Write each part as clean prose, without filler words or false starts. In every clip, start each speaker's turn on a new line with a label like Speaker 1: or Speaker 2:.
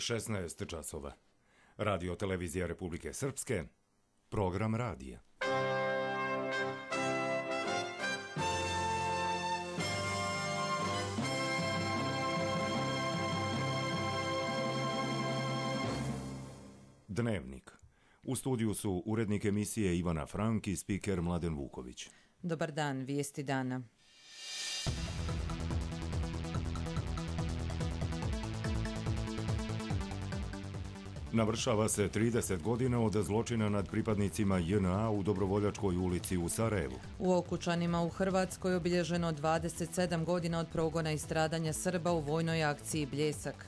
Speaker 1: 16 časova. Radio Televizija Republike Srpske, program radija. Dnevnik. U studiju su urednik emisije Ivana Frank i spiker Mladen Vuković.
Speaker 2: Dobar dan, vijesti dana.
Speaker 1: Navršava se 30 godina od zločina nad pripadnicima JNA u Dobrovoljačkoj ulici u Sarajevu.
Speaker 2: U Okučanima u Hrvatskoj obilježeno 27 godina od progona i stradanja Srba u vojnoj akciji Bljesak.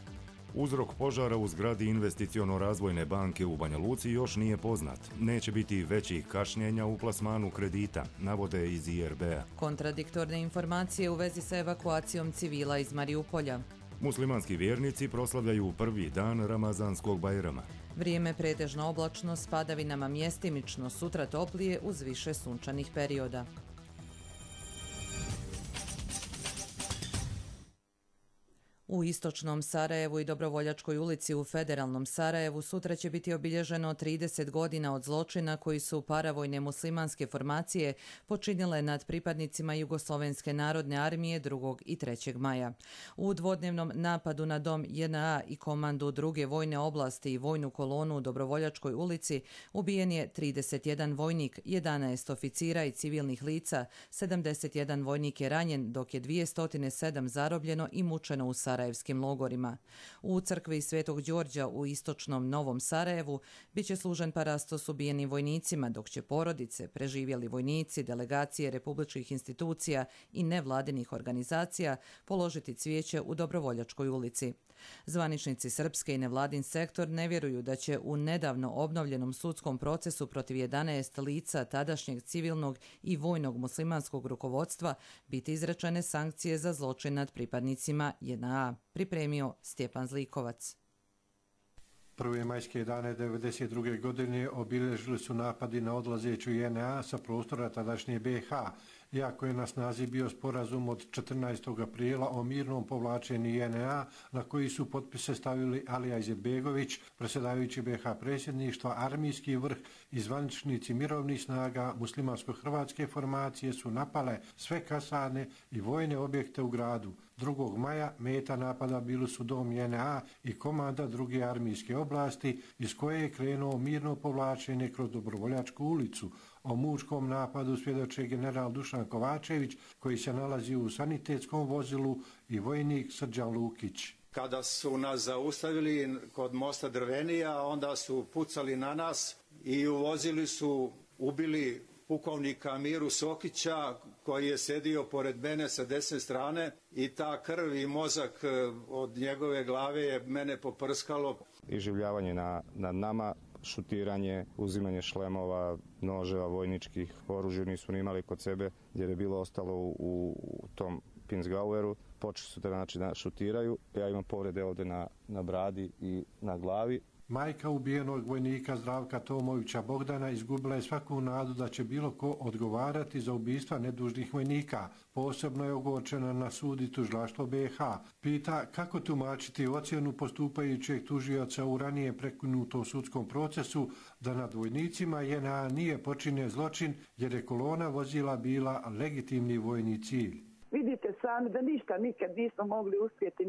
Speaker 1: Uzrok požara u zgradi Investiciono-razvojne banke u Banja Luci još nije poznat. Neće biti većih kašnjenja u plasmanu kredita, navode iz IRB-a.
Speaker 2: Kontradiktorne informacije u vezi sa evakuacijom civila iz Mariupolja.
Speaker 1: Muslimanski vjernici proslavljaju prvi dan Ramazanskog Bajrama.
Speaker 2: Vrijeme pretežno oblačno s padavinama mjestimično, sutra toplije uz više sunčanih perioda. U istočnom Sarajevu i Dobrovoljačkoj ulici u federalnom Sarajevu sutra će biti obilježeno 30 godina od zločina koji su paravojne muslimanske formacije počinile nad pripadnicima Jugoslovenske narodne armije 2. i 3. maja. U dvodnevnom napadu na dom JNA i komandu druge vojne oblasti i vojnu kolonu u Dobrovoljačkoj ulici ubijen je 31 vojnik, 11 oficira i civilnih lica, 71 vojnik je ranjen, dok je 207 zarobljeno i mučeno u sarajevskim logorima. U crkvi Svetog Đorđa u istočnom Novom Sarajevu biće služen parastos ubijenim vojnicima, dok će porodice, preživjeli vojnici, delegacije republičkih institucija i nevladinih organizacija položiti cvijeće u Dobrovoljačkoj ulici. Zvaničnici srpske i nevladin sektor ne vjeruju da će u nedavno obnovljenom sudskom procesu protiv 11 lica tadašnjeg civilnog i vojnog muslimanskog rukovodstva biti izrečene sankcije za zločin nad pripadnicima JNA, pripremio Stjepan Zlikovac.
Speaker 3: Prve majske dane 1992. godine obilježili su napadi na odlazeću JNA sa prostora tadašnje BiH, iako je na snazi bio sporazum od 14. aprila o mirnom povlačenju JNA na koji su potpise stavili Alija Izetbegović, predsjedavajući BiH predsjedništva, armijski vrh i zvaničnici mirovnih snaga muslimansko-hrvatske formacije su napale sve kasarne i vojne objekte u gradu. 2. maja meta napada bili su dom JNA i komanda druge armijske oblasti iz koje je krenuo mirno povlačenje kroz Dobrovoljačku ulicu. O mučkom napadu svjedoče general Dušan Kovačević, koji se nalazi u sanitetskom vozilu, i vojnik Srđan Lukić.
Speaker 4: Kada su nas zaustavili kod mosta Drvenija, onda su pucali na nas i u vozilu su ubili pukovnika Miru Sokića, koji je sedio pored mene sa desne strane, i ta krv i mozak od njegove glave je mene poprskalo.
Speaker 5: Iživljavanje nad nama, šutiranje, uzimanje šlemova, noževa, vojničkih, oružja nisu ni imali kod sebe jer je bilo ostalo u tom Pinsgaueru. Počeli su da šutiraju. Ja imam povrede ovdje na bradi i na glavi.
Speaker 3: Majka ubijenog vojnika Zdravka Tomovića Bogdana izgubila je svaku nadu da će bilo ko odgovarati za ubistva nedužnih vojnika. Posebno je ogorčena na sud i tužilaštvo BiH. Pita kako tumačiti ocjenu postupajućeg tužioca u ranije prekinutom sudskom procesu da nad vojnicima JNA nije počinjen zločin jer je kolona vozila bila legitimni vojni cilj.
Speaker 6: Vidite sami da ništa nikad nismo mogli uspjeti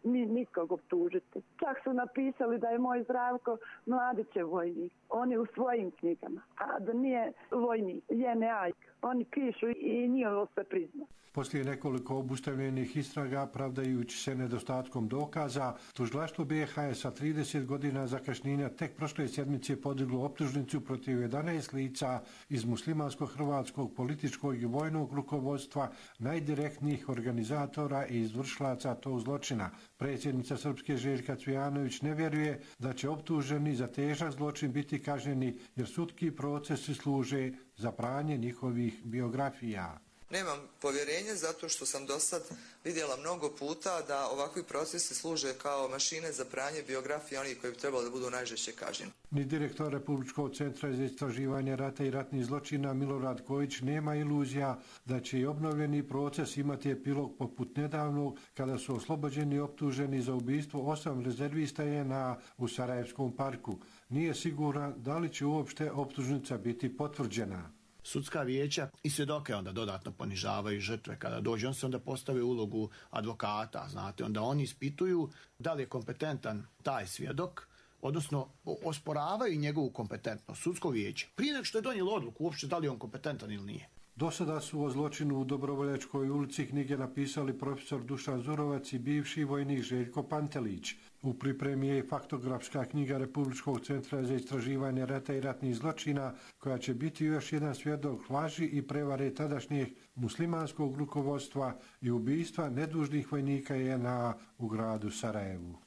Speaker 6: ni nikog optužiti. Čak su napisali da je moj Zdravko Mladićev vojnik. Oni u svojim knjigama. A da nije vojnik, JNA. Oni pišu i nije ovo sve prizna.
Speaker 3: Poslije nekoliko obustavljenih istraga, pravdajući se nedostatkom dokaza, tužilaštvo BiH je sa 30 godina zakašnjenja tek prošle sedmice podiglo optužnicu protiv 11 lica iz muslimansko-hrvatskog političkog i vojnog rukovodstva, najdirektnijih organizatora i izvršilaca tog zločina. Predsjednica Srpske Željka Cvijanović ne vjeruje da će optuženi za težak zločin biti kažnjeni jer sudski procesi služe za pranje njihovih biografija.
Speaker 7: Nemam povjerenje zato što sam do sad vidjela mnogo puta da ovakvi procesi služe kao mašine za pranje biografije onih koji bi trebali da budu najžešće kažnjeni.
Speaker 3: Ni direktor Republičkog centra za istraživanje rata i ratnih zločina Milorad Kojić nema iluzija da će i obnovljeni proces imati epilog poput nedavnog kada su oslobođeni optuženi za ubistvo 8 rezervista JNA u Sarajevskom parku. Nije siguran da li će uopšte optužnica biti potvrđena.
Speaker 8: Sudska vijeća i svjedoke onda dodatno ponižavaju žrtve kada dođe. On se onda postave ulogu advokata, znate, onda oni ispituju da li je kompetentan taj svjedok, odnosno osporavaju njegovu kompetentnost, sudsko vijeće. Prije nego što je donijelo odluku uopće da li je on kompetentan ili nije.
Speaker 3: Do sada su o zločinu u Dobrovoljačkoj ulici knjige napisali profesor Dušan Zurovac i bivši vojnik Željko Pantelić. U pripremi je i faktografska knjiga Republičkog centra za istraživanje rata i ratnih zločina, koja će biti još jedan svjedok laži i prevare tadašnjeg muslimanskog rukovodstva i ubistva nedužnih vojnika JNA u gradu Sarajevu.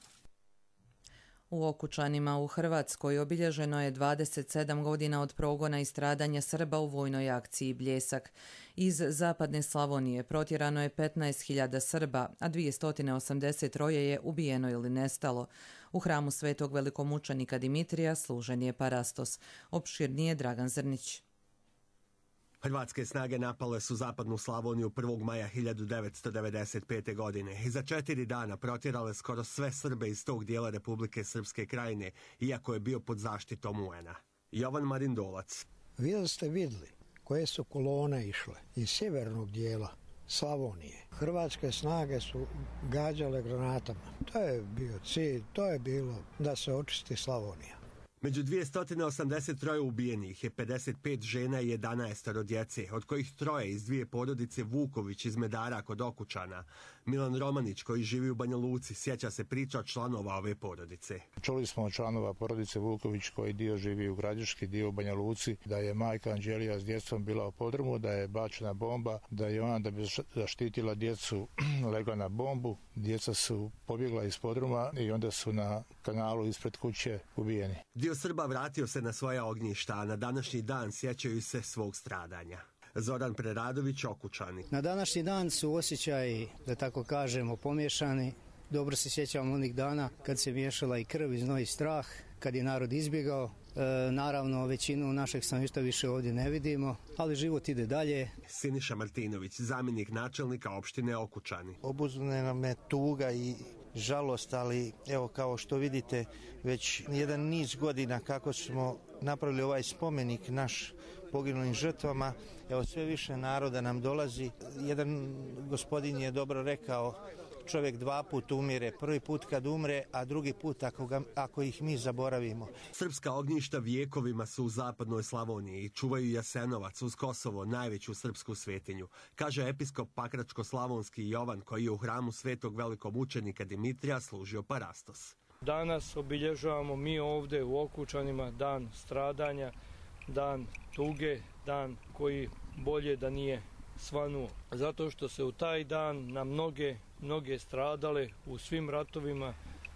Speaker 2: U Okučanima u Hrvatskoj obilježeno je 27 godina od progona i stradanja Srba u vojnoj akciji Bljesak. Iz zapadne Slavonije protjerano je 15.000 Srba, a 283 je ubijeno ili nestalo. U hramu svetog velikomučenika Dimitrija služen je parastos. Opširnije Dragan Zrnić.
Speaker 9: Hrvatske snage napale su zapadnu Slavoniju 1. maja 1995. godine i za 4 dana protjerale skoro sve Srbe iz tog dijela Republike Srpske Krajine, iako je bio pod zaštitom UN-a. Jovan Marindolac.
Speaker 10: Vi da ste vidjeli koje su kolone išle iz sjevernog dijela Slavonije. Hrvatske snage su gađale granatama. To je bio cilj, to je bilo da se očisti Slavonija.
Speaker 9: Među 283 ubijenih je 55 žena i 11 djece, od kojih 3 iz 2 porodice Vuković iz Medara kod Okučana. Milan Romanić, koji živi u Banja Luci, sjeća se priča članova ove porodice.
Speaker 11: Čuli smo od članova porodice Vuković, koji dio živi u Gradiški, dio u Banja Luci, da je majka Anđelija s djecom bila u podrumu, da je bačena bomba, da je ona da bi zaštitila djecu legla na bombu. Djeca su pobjegla iz podruma i onda su na kanalu ispred kuće ubijeni.
Speaker 9: Dio Srba vratio se na svoja ognjišta, a na današnji dan sjećaju se svog stradanja. Zoran Preradović, Okučani.
Speaker 10: Na današnji dan su osjećaji, da tako kažemo, pomiješani. Dobro se sjećamo onih dana kad se miješala i krv i znoj i strah, kad je narod izbjegao. Naravno, većinu našeg stanovništva više ovdje ne vidimo, ali život ide dalje.
Speaker 9: Siniša Martinović, zamjenik načelnika opštine Okučani.
Speaker 12: Obuzmena me tuga i žalost, ali evo kao što vidite već jedan niz godina kako smo napravili ovaj spomenik naš poginulim žrtvama, evo sve više naroda nam dolazi. Jedan gospodin je dobro rekao, čovjek 2 puta umire, prvi put kad umre, a drugi put ako ih mi zaboravimo.
Speaker 9: Srpska ognjišta vijekovima su u zapadnoj Slavoniji i čuvaju Jasenovac uz Kosovo, najveću srpsku svetinju, kaže episkop Pakračko-slavonski Jovan, koji je u hramu svetog velikomučenika Dimitrija služio parastos.
Speaker 13: Danas obilježavamo mi ovdje u Okučanima dan stradanja, dan tuge, dan koji bolje da nije svanuo. Zato što se u taj dan na mnoge stradale u svim ratovima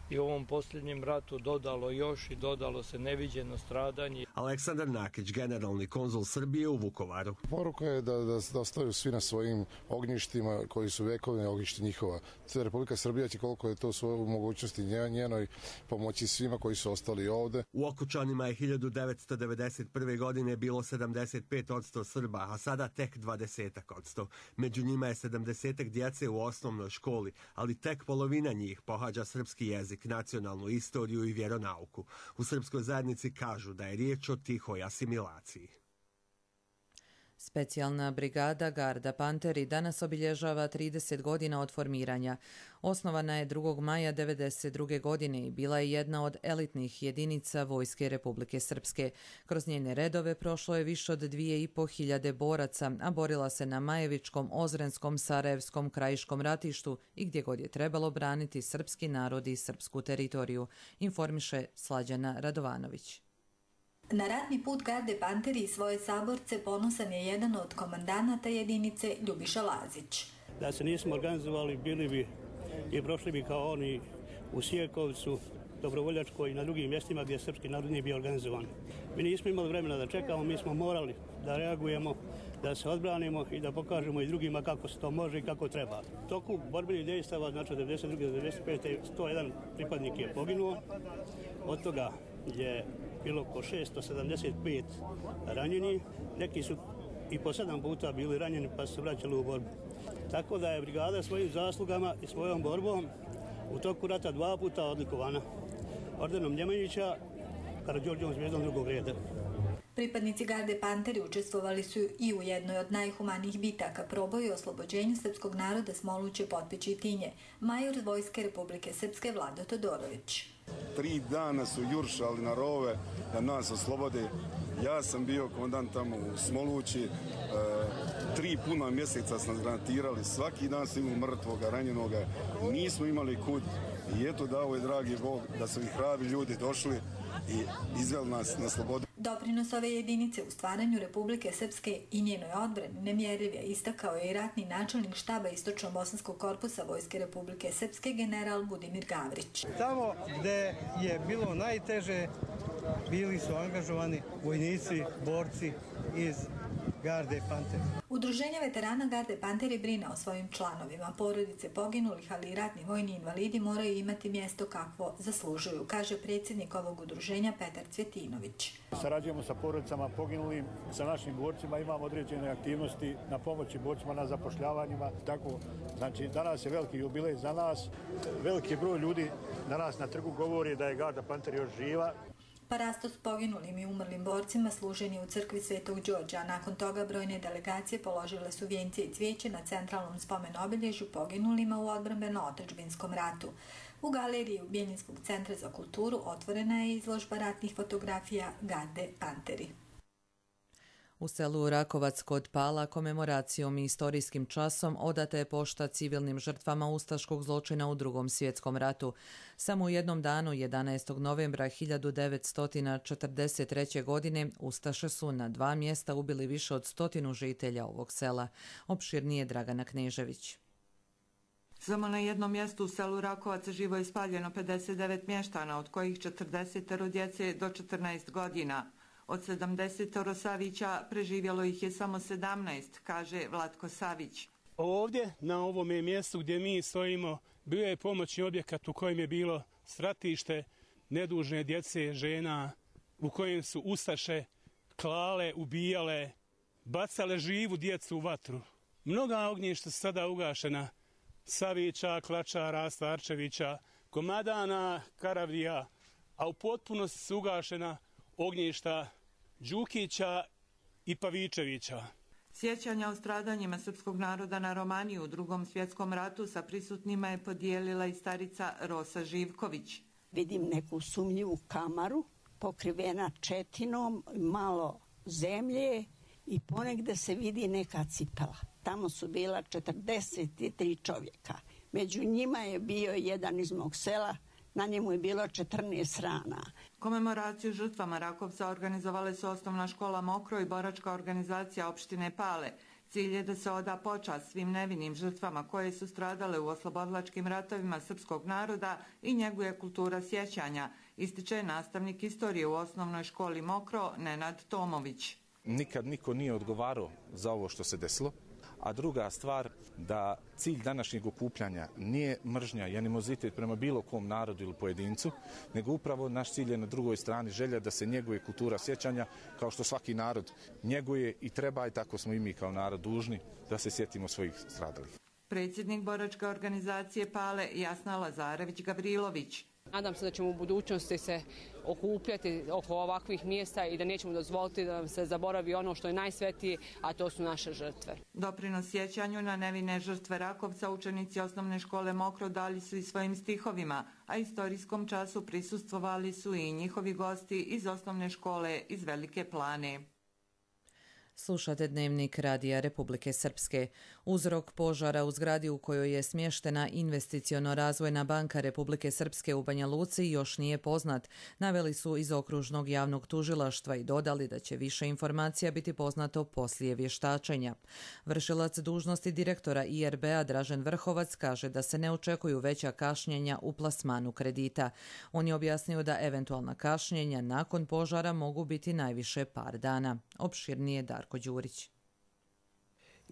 Speaker 13: i u ovom posljednjem ratu dodalo još i dodalo se neviđeno stradanje.
Speaker 9: Aleksandar Nakić, generalni konzul Srbije u Vukovaru.
Speaker 14: Poruka je da ostaju svi na svojim ognjištima koji su vekovne ognjišti njihova. Republika Srbija će koliko je to svoje mogućnosti njenoj pomoći svima koji su ostali ovde.
Speaker 9: U Okučanima je 1991. godine bilo 75% Srba, a sada tek 20%. Među njima je 70 djece u osnovnoj školi, ali tek polovina njih pohađa srpski jezik, nacionalnu istoriju i vjeronauku. U srpskoj zajednici kažu da je riječ o tihoj asimilaciji.
Speaker 2: Specijalna brigada Garda Panteri danas obilježava 30 godina od formiranja. Osnovana je 2. maja 1992. godine i bila je jedna od elitnih jedinica Vojske Republike Srpske. Kroz njene redove prošlo je više od 2.500 boraca, a borila se na Majevičkom, Ozrenskom, Sarajevskom, Krajiškom ratištu i gdje god je trebalo braniti srpski narod i srpsku teritoriju, informiše Slađana Radovanović.
Speaker 15: Na ratni put Garde Panteri i svoje saborce ponosan je jedan od komandanata jedinice Ljubiša Lazić.
Speaker 16: Da se nismo organizovali, bili bi i prošli bi kao oni u Sijekovcu, Dobrovoljačkoj i na drugim mjestima gdje srpski narod nije bio organizovan. Mi nismo imali vremena da čekamo, mi smo morali da reagujemo da se odbranimo i da pokažemo i drugima kako se to može i kako treba. U toku borbenih dejstava, znači od 92. do 95. 101 pripadnik je poginuo, od toga je bilo oko 675 ranjeni, neki su i po 7 puta bili ranjeni pa su se vraćali u borbu. Tako da je brigada svojim zaslugama i svojom borbom u toku rata 2 puta odlikovana ordenom Njemanjića, Karađorđevom zvijezdom drugog reda.
Speaker 15: Pripadnici garde Panteri učestvovali su i u jednoj od najhumanijih bitaka proboju oslobođenju srpskog naroda Smoluće, Potpići i Tinje, major Vojske Republike Srpske Vlado Todorović.
Speaker 17: 3 dana su juršali na rove da nas oslobode. Ja sam bio komandant tamo u Smolući, 3 puna mjeseca smo granatirali, svaki dan smo imali mrtvoga, ranjenoga, nismo imali kud i eto dao je dragi Bog da su i hrabri ljudi došli i izveli nas na slobodu.
Speaker 15: Doprinos ove jedinice u stvaranju Republike Srpske i njenoj odbrani nemjerljiv je, istakao je i ratni načelnik štaba Istočno-bosanskog korpusa Vojske Republike Srpske general Budimir Gavrić.
Speaker 18: Tamo gde je bilo najteže bili su angažovani vojnici, borci iz garde Panteri.
Speaker 15: Udruženje veterana garde Panteri brine o svojim članovima. Porodice poginulih, ali i ratni vojni invalidi moraju imati mjesto kakvo zaslužuju, kaže predsjednik ovog udruženja Petar Cvjetinović.
Speaker 19: Sarađujemo sa porodicama poginulim, sa našim borcima, imamo određene aktivnosti na pomoći borcima na zapošljavanjima. Tako, znači, danas je veliki jubilej za nas. Veliki broj ljudi danas na trgu govori da je garda Panteri još živa.
Speaker 15: Parasto s poginulim i umrlim borcima služen je u crkvi Svetog Đorđa, a nakon toga brojne delegacije položile su vijence i cvijeće na centralnom spomen obilježju poginulima u odbrambeno-otadžbinskom ratu. U galeriji Bjeljinskog centra za kulturu otvorena je izložba ratnih fotografija garde Panteri.
Speaker 2: U selu Rakovac kod Pala komemoracijom i istorijskim časom odata je pošta civilnim žrtvama ustaškog zločina u Drugom svjetskom ratu. Samo u jednom danu, 11. novembra 1943. godine, ustaše su na 2 mjesta ubili više od 100 žitelja ovog sela. Opširnije Dragana Knežević.
Speaker 20: Samo na jednom mjestu u selu Rakovac živo je spaljeno 59 mještana, od kojih 40 djece do 14 godina. Od 70 Savića preživjelo ih je samo 17, kaže Vlatko Savić.
Speaker 21: Ovdje, na ovome mjestu gdje mi stojimo, bio je pomoćni objekat u kojem je bilo stratište nedužne djece, žena, u kojem su ustaše klale, ubijale, bacale živu djecu u vatru. Mnoga ognjišta su sada ugašena, Savića, Klačara, Starčevića, Komadana, Karavdija, a u potpunosti su ugašena ognjišta Đukića i Pavičevića.
Speaker 20: Sjećanja o stradanjima srpskog naroda na Romaniji u Drugom svjetskom ratu sa prisutnima je podijelila i starica Rosa Živković.
Speaker 22: Vidim neku sumnjivu kamaru, pokrivena četinom, malo zemlje i ponegde se vidi neka cipela. Tamo su bila 43 čovjeka. Među njima je bio jedan iz mog sela, na njemu je bilo 14 rana.
Speaker 20: Komemoraciju žrtvama Rakovca organizovale su Osnovna škola Mokro i boračka organizacija opštine Pale. Cilj je da se oda počast svim nevinim žrtvama koje su stradale u oslobodilačkim ratovima srpskog naroda i njeguje kultura sjećanja, ističe nastavnik istorije u Osnovnoj školi Mokro Nenad Tomović.
Speaker 23: Nikad niko nije odgovarao za ovo što se desilo. A druga stvar, da cilj današnjeg okupljanja nije mržnja i animozitet prema bilo kom narodu ili pojedincu, nego upravo naš cilj je na drugoj strani želja da se njeguje kultura sjećanja, kao što svaki narod njeguje i treba, i tako smo i mi kao narod dužni da se sjetimo svojih stradalih.
Speaker 20: Predsjednik boračke organizacije Pale Jasna Lazarević-Gavrilović.
Speaker 24: Nadam se da ćemo u budućnosti se okupljati oko ovakvih mjesta i da nećemo dozvoliti da nam se zaboravi ono što je najsvetije, a to su naše žrtve.
Speaker 20: Doprinos sjećanju na nevine žrtve Rakovca učenici Osnovne škole Mokro dali su i svojim stihovima, a istorijskom času prisustvovali su i njihovi gosti iz Osnovne škole iz Velike Plane.
Speaker 2: Slušate Dnevnik Radija Republike Srpske. Uzrok požara u zgradi u kojoj je smještena Investiciono-razvojna banka Republike Srpske u Banja Luci još nije poznat, naveli su iz okružnog javnog tužilaštva i dodali da će više informacija biti poznato poslije vještačenja. Vršilac dužnosti direktora IRB-a Dražen Vrhovac kaže da se ne očekuju veća kašnjenja u plasmanu kredita. On je objasnio da eventualna kašnjenja nakon požara mogu biti najviše par dana. Opširnije Darko Đurić.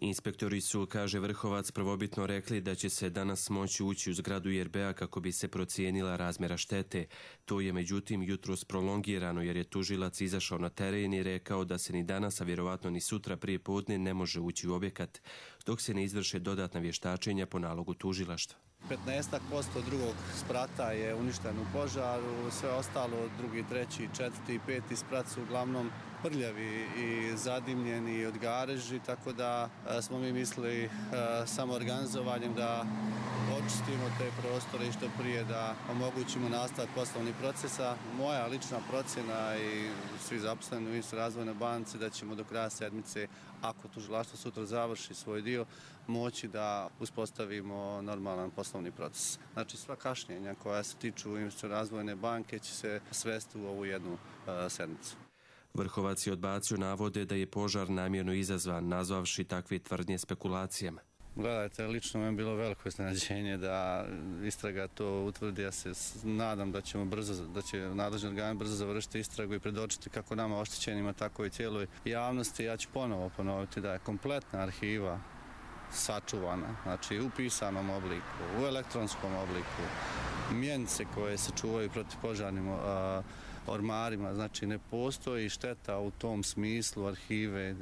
Speaker 1: Inspektori su, kaže Vrhovac, prvobitno rekli da će se danas moći ući u zgradu IRB-a kako bi se procijenila razmjera štete. To je međutim jutros prolongirano jer je tužilac izašao na teren i rekao da se ni danas, a vjerovatno ni sutra prije podne ne može ući u objekat, dok se ne izvrše dodatna vještačenja po nalogu tužilaštva.
Speaker 4: 15% drugog sprata je uništeno u požaru, sve ostalo, drugi, treći, četvrti i peti sprat su uglavnom prljavi i zadimljeni od gareži, tako da smo mi mislili samo organizovanjem da očistimo te prostore i što prije da omogućimo nastavak poslovnih procesa. Moja lična procjena i svi zaposleni u Ministarstvu razvojne banci da ćemo do kraja sedmice, ako tužilaštvo sutra završi svoj dio, moći da uspostavimo normalan poslovni proces. Znači sva kašnjenja koja se tiču Ministarstva razvojne banke će se svesti u ovu jednu sedmicu.
Speaker 1: Vrhovac je odbacio navode da je požar namjerno izazvan, nazvavši takve tvrdnje spekulacijama.
Speaker 4: Gledajte, lično mi je bilo veliko iznenađenje da istraga to utvrdi. Ja se nadam da će nadležni organi brzo završiti istragu i predočiti kako nama oštećenima, tako i cijeloj javnosti. Ja ću ponovo ponoviti da je kompletna arhiva sačuvana, znači u pisanom obliku, u elektronskom obliku, mjenice koje se čuvaju protiv požarnim ormarima, znači ne postoji šteta u tom smislu arhive.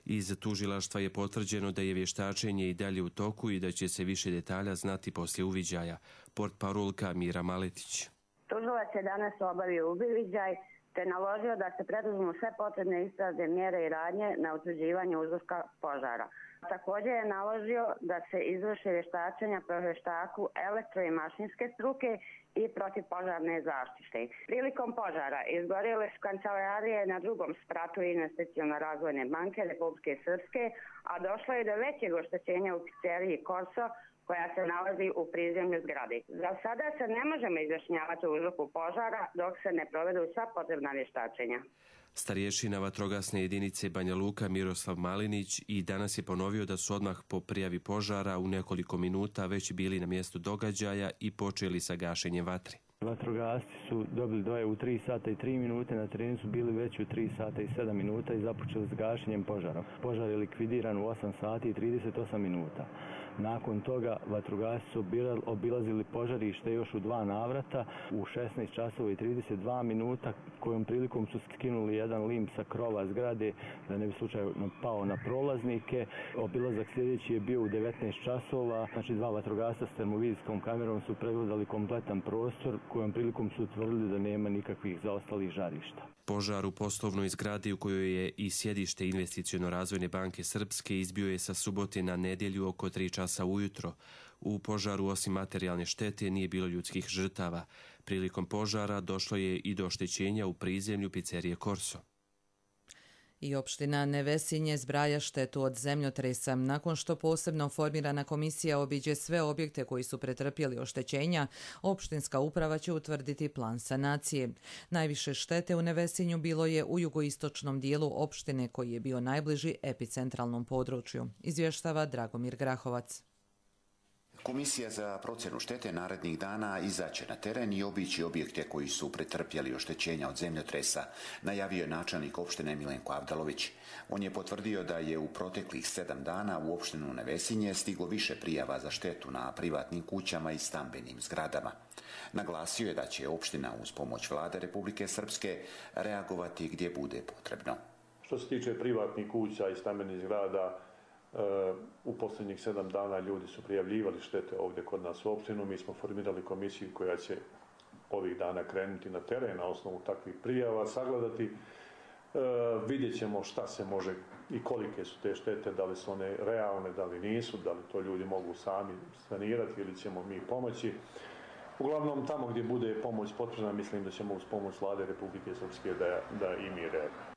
Speaker 1: Iz tužilaštva je potvrđeno da je vještačenje i dalje u toku i da će se više detalja znati poslije uviđaja. Portparolka Mira Maletić.
Speaker 5: Tužilac je danas obavio uviđaj te naložio da se preduzmu sve potrebne istražne mjere i radnje na utvrđivanju uzroka požara. Također je naložio da se izvrše vještačenja po vještaku elektro- i mašinske struke i protivpožarne zaštite. Prilikom požara izgorjele su kancelarije na drugom spratu Investicione razvojne banke Republike Srpske, a došlo je do većeg oštećenja u pizzeriji Korso koja se nalazi u prizemlju zgrade. Za sada se ne možemo izjašnjavati o uzroku požara dok se ne provedu sva potrebna vještačenja.
Speaker 1: Starješina vatrogasne jedinice Banja Luka Miroslav Malinić i danas je ponovio da su odmah po prijavi požara u nekoliko minuta već bili na mjestu događaja i počeli sa gašenjem vatre.
Speaker 6: Vatrogasci su dobili dojavu u 3 sata i 3 minute, na terenu su bili već u 3 sata i 7 minuta i započeli s gašenjem požara. Požar je likvidiran u 8 sati i 38 minuta. Nakon toga vatrogasci su obilazili požarište još u 2 navrata u 16 časova i 32 minuta, kojom prilikom su skinuli jedan lim sa krova zgrade da ne bi slučajno pao na prolaznike. Obilazak sljedeći je bio u 19 časova, znači 2 vatrogasca s termovizijskom kamerom su pregledali kompletan prostor, kojom prilikom su utvrdili da nema nikakvih zaostalih žarišta.
Speaker 1: Požar u poslovnoj zgradi u kojoj je i sjedište Investicione razvojne banke Srpske izbio je sa subote na nedjelju oko 3 časa ujutro. U požaru osim materijalne štete nije bilo ljudskih žrtava. Prilikom požara došlo je i do oštećenja u prizemlju pizzerije Korso.
Speaker 2: I opština Nevesinje zbraja štetu od zemljotresa. Nakon što posebno formirana komisija obiđe sve objekte koji su pretrpjeli oštećenja, opštinska uprava će utvrditi plan sanacije. Najviše štete u Nevesinju bilo je u jugoistočnom dijelu opštine koji je bio najbliži epicentralnom području. Izvještava Dragomir Grahovac.
Speaker 25: Komisija za procjenu štete narednih dana izaće na teren i obići objekte koji su pretrpjeli oštećenja od zemljotresa, najavio je načelnik opštine Milenko Avdalović. On je potvrdio da je u proteklih 7 dana u opštinu Nevesinje stiglo više prijava za štetu na privatnim kućama i stambenim zgradama. Naglasio je da će opština uz pomoć Vlade Republike Srpske reagovati gdje bude potrebno.
Speaker 26: Što se tiče privatnih kuća i stambenih zgrada, u posljednjih 7 dana ljudi su prijavljivali štete ovdje kod nas u opštinu. Mi smo formirali komisiju koja će ovih dana krenuti na teren na osnovu takvih prijava, sagledati. Vidjet ćemo šta se može i kolike su te štete, da li su one realne, da li nisu, da li to ljudi mogu sami sanirati ili ćemo mi pomoći. Uglavnom, tamo gdje bude pomoć potrebna, mislim da ćemo uz pomoć Vlade Republike Srpske da i mi reagujemo.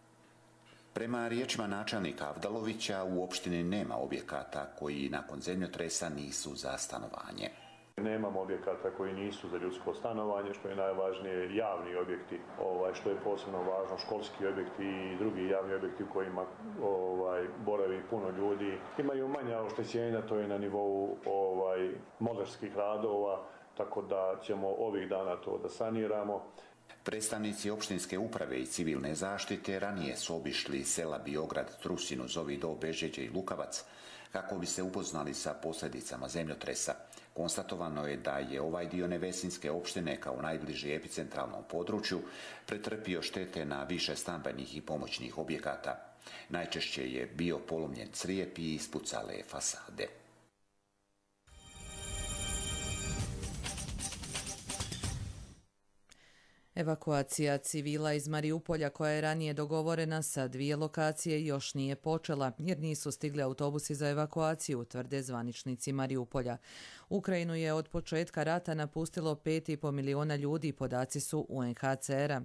Speaker 25: Prema riječima načelnika Avdalovića, u opštini nema objekata koji nakon zemljotresa nisu za stanovanje.
Speaker 26: Nemamo objekata koji nisu za ljudsko stanovanje, što je najvažnije javni objekti, što je posebno važno, školski objekti i drugi javni objekti u kojima boravi puno ljudi. Imaju manja oštećenja, to je na nivou molerskih radova, tako da ćemo ovih dana to da saniramo.
Speaker 25: Predstavnici opštinske uprave i civilne zaštite ranije su obišli sela Biograd, Trusinu, Zovi Do, Bežeđe i Lukavac. kako bi se upoznali sa posljedicama zemljotresa. Konstatovano je da je ovaj dio Nevesinske opštine kao najbliži epicentralnom području pretrpio štete na više stambenih i pomoćnih objekata. Najčešće je bio polomljen crijep i ispucale fasade.
Speaker 2: Evakuacija civila iz Mariupolja, koja je ranije dogovorena sa 2 lokacije, još nije počela jer nisu stigli autobusi za evakuaciju, tvrde zvaničnici Mariupolja. Ukrajinu je od početka rata napustilo 5,5 miliona ljudi, podaci su UNHCR-a.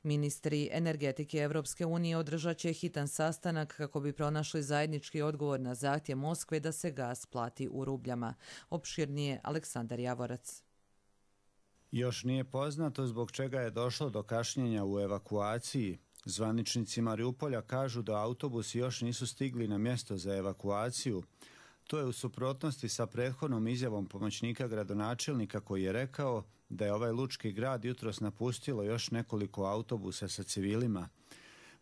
Speaker 2: Ministri energetike Evropske unije održat će hitan sastanak kako bi pronašli zajednički odgovor na zahtjev Moskve da se gas plati u rubljama. Opširnije Aleksandar Javorac.
Speaker 3: Još nije poznato zbog čega je došlo do kašnjenja u evakuaciji. Zvaničnici Mariupolja kažu da autobusi još nisu stigli na mjesto za evakuaciju. To je u suprotnosti sa prethodnom izjavom pomoćnika gradonačelnika koji je rekao da je ovaj lučki grad jutros napustilo još nekoliko autobusa sa civilima.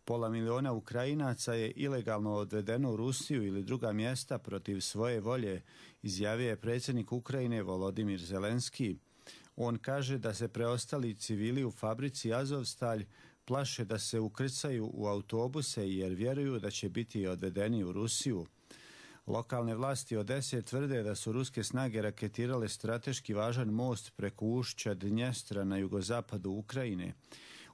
Speaker 3: 500 miliona Ukrajinaca je ilegalno odvedeno u Rusiju ili druga mjesta protiv svoje volje, izjavio je predsjednik Ukrajine Volodimir Zelenski. On kaže da se preostali civili u fabrici Azovstalj plaše da se ukrcaju u autobuse jer vjeruju da će biti odvedeni u Rusiju. Lokalne vlasti Odese tvrde da su ruske snage raketirale strateški važan most preko ušća Dnjestra na jugozapadu Ukrajine.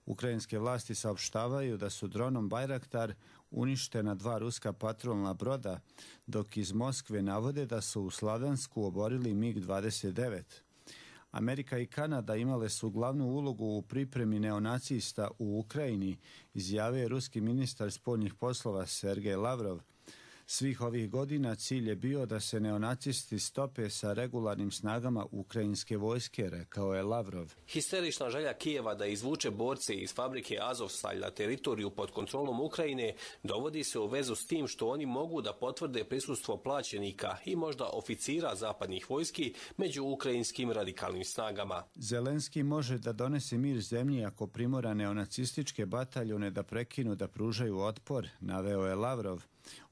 Speaker 3: Ukrajinske vlasti saopštavaju da su dronom Bajraktar uništena 2 ruska patrolna broda, dok iz Moskve navode da su u Slavjansku oborili MiG-29. Amerika i Kanada imale su glavnu ulogu u pripremi neonacista u Ukrajini, izjavio je ruski ministar spoljnih poslova Sergej Lavrov. Svih ovih godina cilj je bio da se neonacisti stope sa regularnim snagama ukrajinske vojske, rekao je Lavrov.
Speaker 7: Histerična želja Kijeva da izvuče borce iz fabrike Azovstalj na teritoriju pod kontrolom Ukrajine dovodi se u vezu s tim što oni mogu da potvrde prisustvo plaćenika i možda oficira zapadnih vojski među ukrajinskim radikalnim snagama.
Speaker 3: Zelenski može da donese mir zemlji ako primora neonacističke bataljone da prekinu da pružaju otpor, naveo je Lavrov.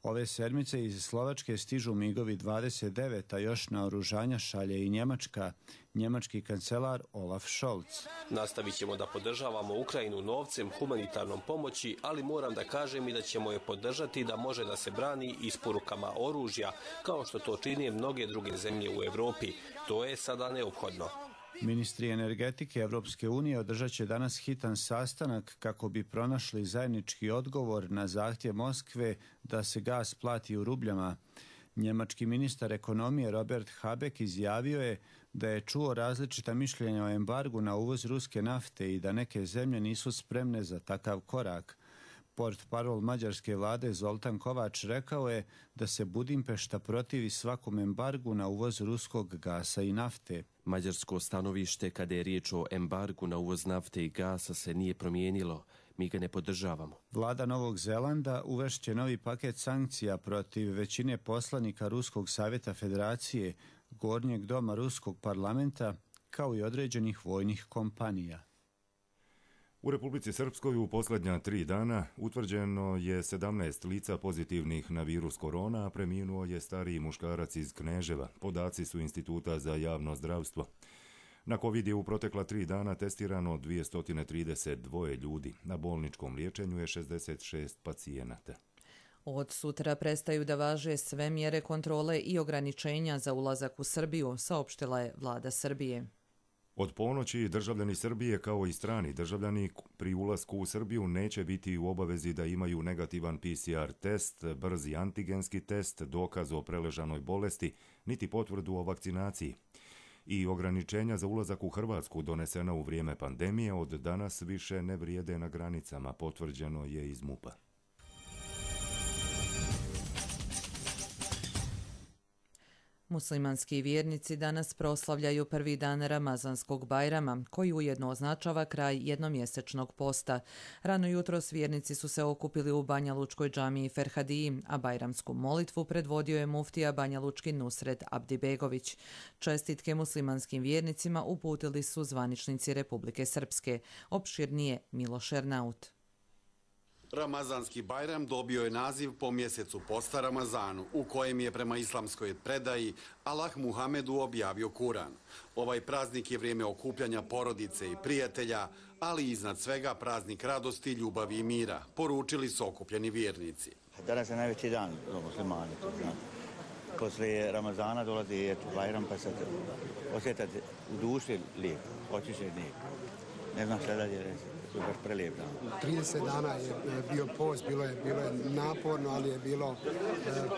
Speaker 3: Ove sedmice iz Slovačke stižu MiG-ovi 29, a još naoružanja šalje i Njemačka, njemački kancelar Olaf Scholz.
Speaker 7: Nastavit ćemo da podržavamo Ukrajinu novcem, humanitarnom pomoći, ali moram da kažem i da ćemo je podržati da može da se brani isporukama oružja, kao što to čine mnoge druge zemlje u Evropi. To je sada neophodno.
Speaker 3: Ministri energetike Evropske unije održat će danas hitan sastanak kako bi pronašli zajednički odgovor na zahtjev Moskve da se gas plati u rubljama. Njemački ministar ekonomije Robert Habeck izjavio je da je čuo različita mišljenja o embargu na uvoz ruske nafte i da neke zemlje nisu spremne za takav korak. Portparol mađarske vlade Zoltan Kovač rekao je da se Budimpešta protivi svakom embargu na uvoz ruskog gasa i nafte.
Speaker 1: Mađarsko stanovište kada je riječ o embargu na uvoz nafte i gasa se nije promijenilo. Mi ga ne podržavamo.
Speaker 3: Vlada Novog Zelanda uvešće novi paket sankcija protiv većine poslanika Ruskog savjeta federacije, Gornjeg doma Ruskog parlamenta, kao i određenih vojnih kompanija.
Speaker 8: U Republici Srpskoj u posljednja 3 dana utvrđeno je 17 lica pozitivnih na virus korona, a preminuo je stariji muškarac iz Kneževa. Podaci su Instituta za javno zdravstvo. Na COVID je u protekla 3 dana testirano 232 ljudi. Na bolničkom liječenju je 66 pacijenata.
Speaker 2: Od sutra prestaju da važe sve mjere kontrole i ograničenja za ulazak u Srbiju, saopštila je vlada Srbije.
Speaker 8: Od ponoći državljani Srbije kao i strani državljani pri ulasku u Srbiju neće biti u obavezi da imaju negativan PCR test, brzi antigenski test, dokaz o preležanoj bolesti, niti potvrdu o vakcinaciji. I ograničenja za ulazak u Hrvatsku donesena u vrijeme pandemije od danas više ne vrijede na granicama, potvrđeno je iz MUP-a.
Speaker 2: Muslimanski vjernici danas proslavljaju prvi dan Ramazanskog Bajrama, koji ujedno označava kraj jednomjesečnog posta. Rano jutros vjernici su se okupili u Banja Lučkoj džamiji Ferhadiji, a bajramsku molitvu predvodio je muftija Banja Lučki Nusret Abdibegović. Čestitke muslimanskim vjernicima uputili su zvaničnici Republike Srpske. Opširnije Miloš Ernaut.
Speaker 9: Ramazanski Bajram dobio je naziv po mjesecu posta Ramazanu, u kojem je prema islamskoj predaji Allah Muhamedu objavio Kuran. Ovaj praznik je vrijeme okupljanja porodice i prijatelja, ali iznad svega praznik radosti, ljubavi i mira, poručili su okupljeni vjernici.
Speaker 10: Danas je najveći dan za muslimane. Poslije Ramazana dolazi Bajram, pa sad osjetate u duši lijep, očišćen lijep. Ne znam šta dalje reći.
Speaker 11: 30 dana je bio post, bilo je naporno, ali je bilo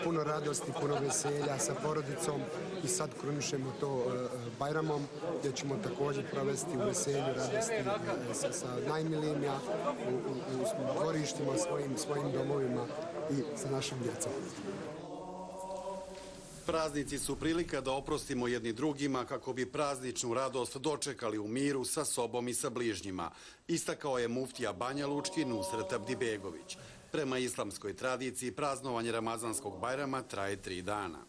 Speaker 11: puno radosti, puno veselja sa porodicom i sad krunišemo to Bajramom, gdje ćemo također provesti u veselju, radosti sa najmilijima, u dvorištima, svojim domovima i sa našom djecom.
Speaker 9: Praznici su prilika da oprostimo jedni drugima kako bi prazničnu radost dočekali u miru sa sobom i sa bližnjima, istakao je muftija Banja Lučki Nusret Abdibegović. Prema islamskoj tradiciji praznovanje Ramazanskog Bajrama traje 3 dana.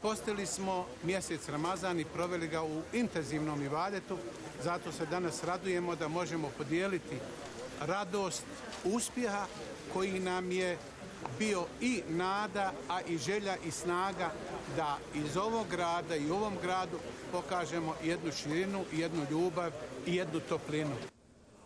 Speaker 12: Postili smo mjesec Ramazan i proveli ga u intenzivnom ibadetu, zato se danas radujemo da možemo podijeliti radost uspjeha koji nam je bio i nada, a i želja i snaga da iz ovog grada i u ovom gradu pokažemo jednu širinu, jednu ljubav i jednu toplinu.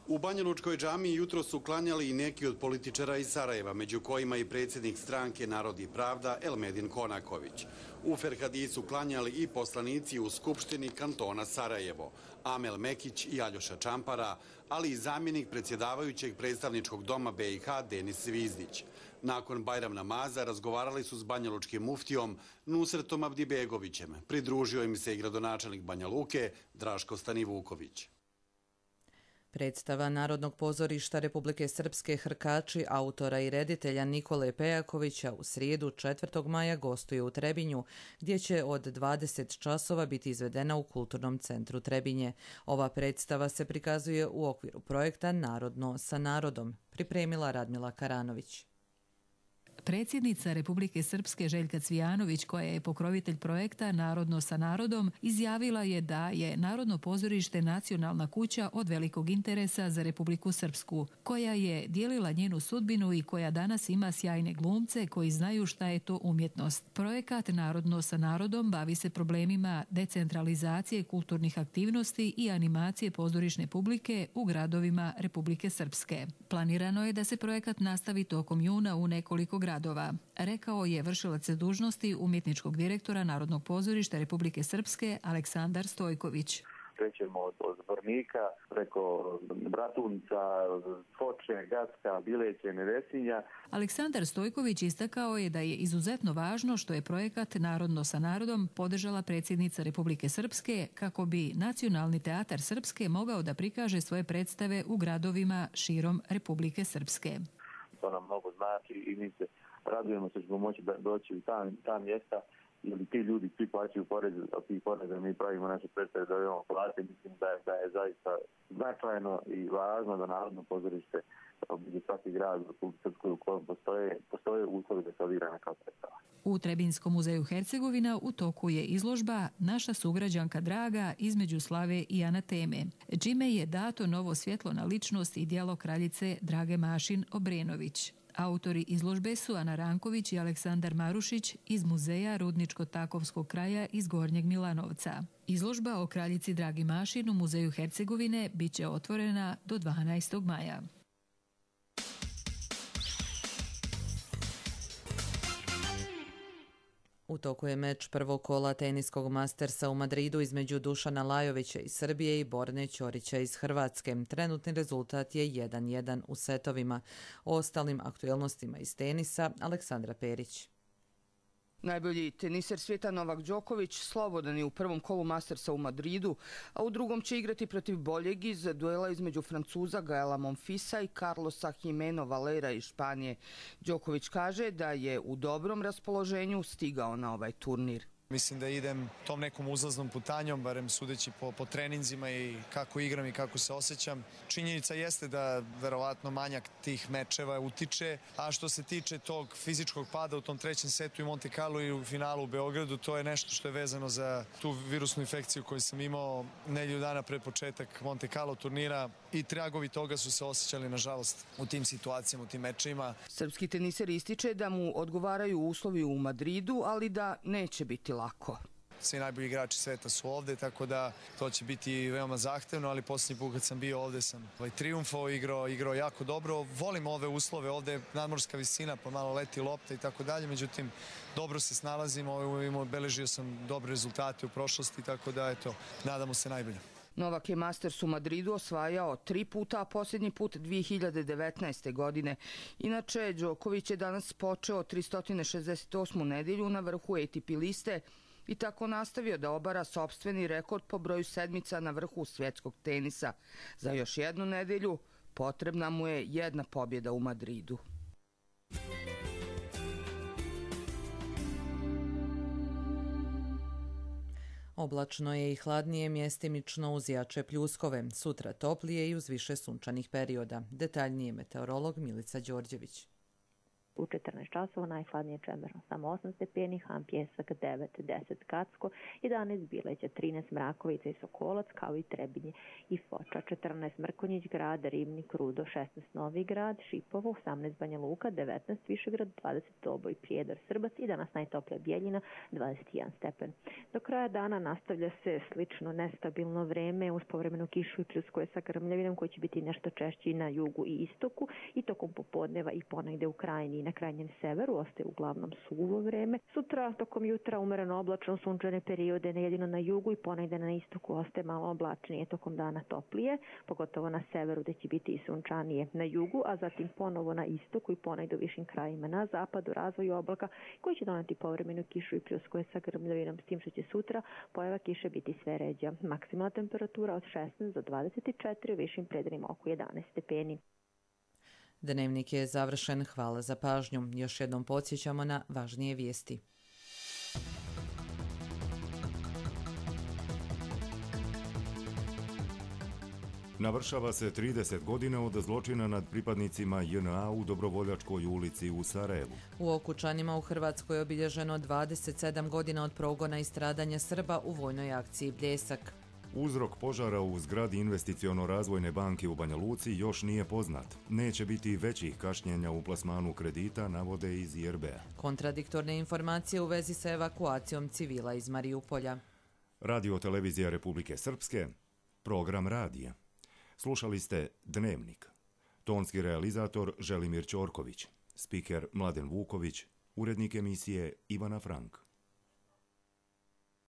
Speaker 9: U Banja Lučkoj džamiji jutro su klanjali i neki od političara iz Sarajeva, među kojima i predsjednik stranke Narod i pravda Elmedin Konaković. U Ferhadisu klanjali i poslanici u Skupštini kantona Sarajevo, Amel Mekić i Aljoša Čampara, ali i zamjenik predsjedavajućeg predstavničkog doma BiH Denis Zvizdić. Nakon Bajram namaza razgovarali su s banjalučkim muftijom Nusretom Abdibegovićem. Pridružio im se i gradonačelnik Banja Luke Draško Stanivuković.
Speaker 2: Predstava Narodnog pozorišta Republike Srpske Hrkači autora i reditelja Nikole Pejakovića u srijedu 4. maja gostuje u Trebinju, gdje će od 20 časova biti izvedena u Kulturnom centru Trebinje. Ova predstava se prikazuje u okviru projekta Narodno sa narodom, pripremila Radmila Karanović.
Speaker 13: Predsjednica Republike Srpske Željka Cvijanović, koja je pokrovitelj projekta Narodno sa narodom, izjavila je da je Narodno pozorište nacionalna kuća od velikog interesa za Republiku Srpsku, koja je dijelila njenu sudbinu i koja danas ima sjajne glumce koji znaju šta je to umjetnost. Projekat Narodno sa narodom bavi se problemima decentralizacije kulturnih aktivnosti i animacije pozorišne publike u gradovima Republike Srpske. Planirano je da se projekat nastavi tokom juna u nekoliko gradova, rekao je vršilac dužnosti umjetničkog direktora Narodnog pozorišta Republike Srpske Aleksandar Stojković.
Speaker 14: Krećemo od Zvornika, preko Bratunca, Foče, Gacka, Bileće, Nevesinja.
Speaker 13: Aleksandar Stojković istakao je da je izuzetno važno što je projekat Narodno sa narodom podržala predsjednica Republike Srpske kako bi Nacionalni teatar Srpske mogao da prikaže svoje predstave u gradovima širom Republike Srpske.
Speaker 14: To nam mnogo znači i mi se radujemo se što ćemo moći da doći u ta mjesta, jer ti ljudi svi plaćaju porez, a ti poreze mi pravimo naše predstave da imamo plate. Mislim da je zaista značajno i važno da Narodno pozorište obiđe svaki grad u Republike Srpskoj u kojem postoje uslovi da se odigra neka predstava.
Speaker 13: U Trebinskom muzeju Hercegovina u toku je izložba Naša sugrađanka draga između slave i anateme, čime je dato novo svjetlo na ličnost i djelo kraljice Drage Mašin Obrenović. Autori izložbe su Ana Ranković i Aleksandar Marušić iz muzeja Rudničko-Takovskog kraja iz Gornjeg Milanovca. Izložba o kraljici Dragi Mašin u muzeju Hercegovine bit će otvorena do 12. maja.
Speaker 2: U toku je meč prvog kola teniskog Mastersa u Madridu između Dušana Lajovića iz Srbije i Borne Ćorića iz Hrvatske. Trenutni rezultat je 1:1 u setovima. O ostalim aktuelnostima iz tenisa Aleksandra Perić.
Speaker 27: Najbolji teniser svijeta Novak Đoković slobodan je u prvom kolu Mastersa u Madridu, a u drugom će igrati protiv boljeg iz duela između Francuza Gaela Monfisa i Carlosa Jimeno Valera iz Španije. Đoković kaže da je u dobrom raspoloženju stigao na ovaj turnir.
Speaker 15: Mislim da idem tom nekom uzlaznom putanjom, barem sudeći po treninzima i kako igram i kako se osjećam. Činjenica jeste da verovatno manjak tih mečeva utiče, a što se tiče tog fizičkog pada u tom trećem setu i Monte Carlo i u finalu u Beogradu, to je nešto što je vezano za tu virusnu infekciju koju sam imao nedelju dana pred početak Monte Carlo turnira i tragovi toga su se osjećali, nažalost, u tim situacijama, u tim mečima.
Speaker 27: Srpski teniser ističe da mu odgovaraju uslovi u Madridu, ali da neće biti lako.
Speaker 15: Svi najbolji igrači sveta su ovde, tako da to će biti veoma zahtevno, ali posljednji put kad sam bio ovde sam triumfao, igrao jako dobro. Volim ove uslove, ovde je nadmorska visina, pa malo leti lopta i tako dalje, međutim, dobro se snalazimo, obeležio sam dobre rezultate u prošlosti, tako da, eto, nadamo se najbolje.
Speaker 27: Novak je Masters u Madridu osvajao 3 puta, a posljednji put 2019. godine. Inače, Đoković je danas počeo 368. nedelju na vrhu ATP liste i tako nastavio da obara sopstveni rekord po broju sedmica na vrhu svjetskog tenisa. Za još jednu nedelju potrebna mu je jedna pobjeda u Madridu.
Speaker 2: Oblačno je i hladnije, mjestimično uz jače pljuskove. Sutra toplije i uz više sunčanih perioda. Detaljnije meteorolog Milica Đorđević.
Speaker 16: U 14 časova najhladnije Čemerno, samo 8 stepeni, Han Pjesak 9, 10 Kacko, 11 Bileća, 13 Mrakovica i Sokolac, kao i Trebinje i Foča, 14 Mrkonjić grad, Ribnik, Rudo, 16 Novi grad, Šipovo, 18 Banja Luka, 19 Višegrad, 20 Doboj, Prijedor, Srbac i danas najtoplija Bijeljina, 21 stepen. Do kraja dana nastavlja se slično nestabilno vreme uz povremenu kišu i pljuskove sa grmljavinom koji će biti nešto češći na jugu i istoku i tokom popodneva i ponegde u krajini i na krajnjem severu ostaje uglavnom suvo vreme. Sutra tokom jutra umereno oblačno, sunčane periode jedino na jugu i ponegde na istoku ostaje malo oblačnije, tokom dana toplije, pogotovo na severu gde će biti i sunčanije na jugu, a zatim ponovo na istoku i ponegde u višim krajima na zapadu razvoju oblaka koji će doneti povremenu kišu i pljuskove sa grmljavinom, s tim što će sutra pojava kiše biti sve ređa. Maksimalna temperatura od 16 do 24, u višim predelima oko 11 stepeni.
Speaker 2: Dnevnik je završen. Hvala za pažnju. Još jednom podsjećamo na važnije vijesti.
Speaker 8: Navršava se 30 godina od zločina nad pripadnicima JNA u Dobrovoljačkoj ulici u Sarajevu.
Speaker 2: U Okučanima u Hrvatskoj je obilježeno 27 godina od progona i stradanja Srba u vojnoj akciji Bljesak.
Speaker 8: Uzrok požara u zgradi Investiciono-razvojne banke u Banja Luci još nije poznat. Neće biti većih kašnjenja u plasmanu kredita, navode iz IRB-a.
Speaker 2: Kontradiktorne informacije u vezi sa evakuacijom civila iz Mariupolja.
Speaker 8: Radio Televizija Republike Srpske, program radija. Slušali ste Dnevnik. Tonski realizator Želimir Ćorković, spiker Mladen Vuković, urednik emisije Ivana Frank.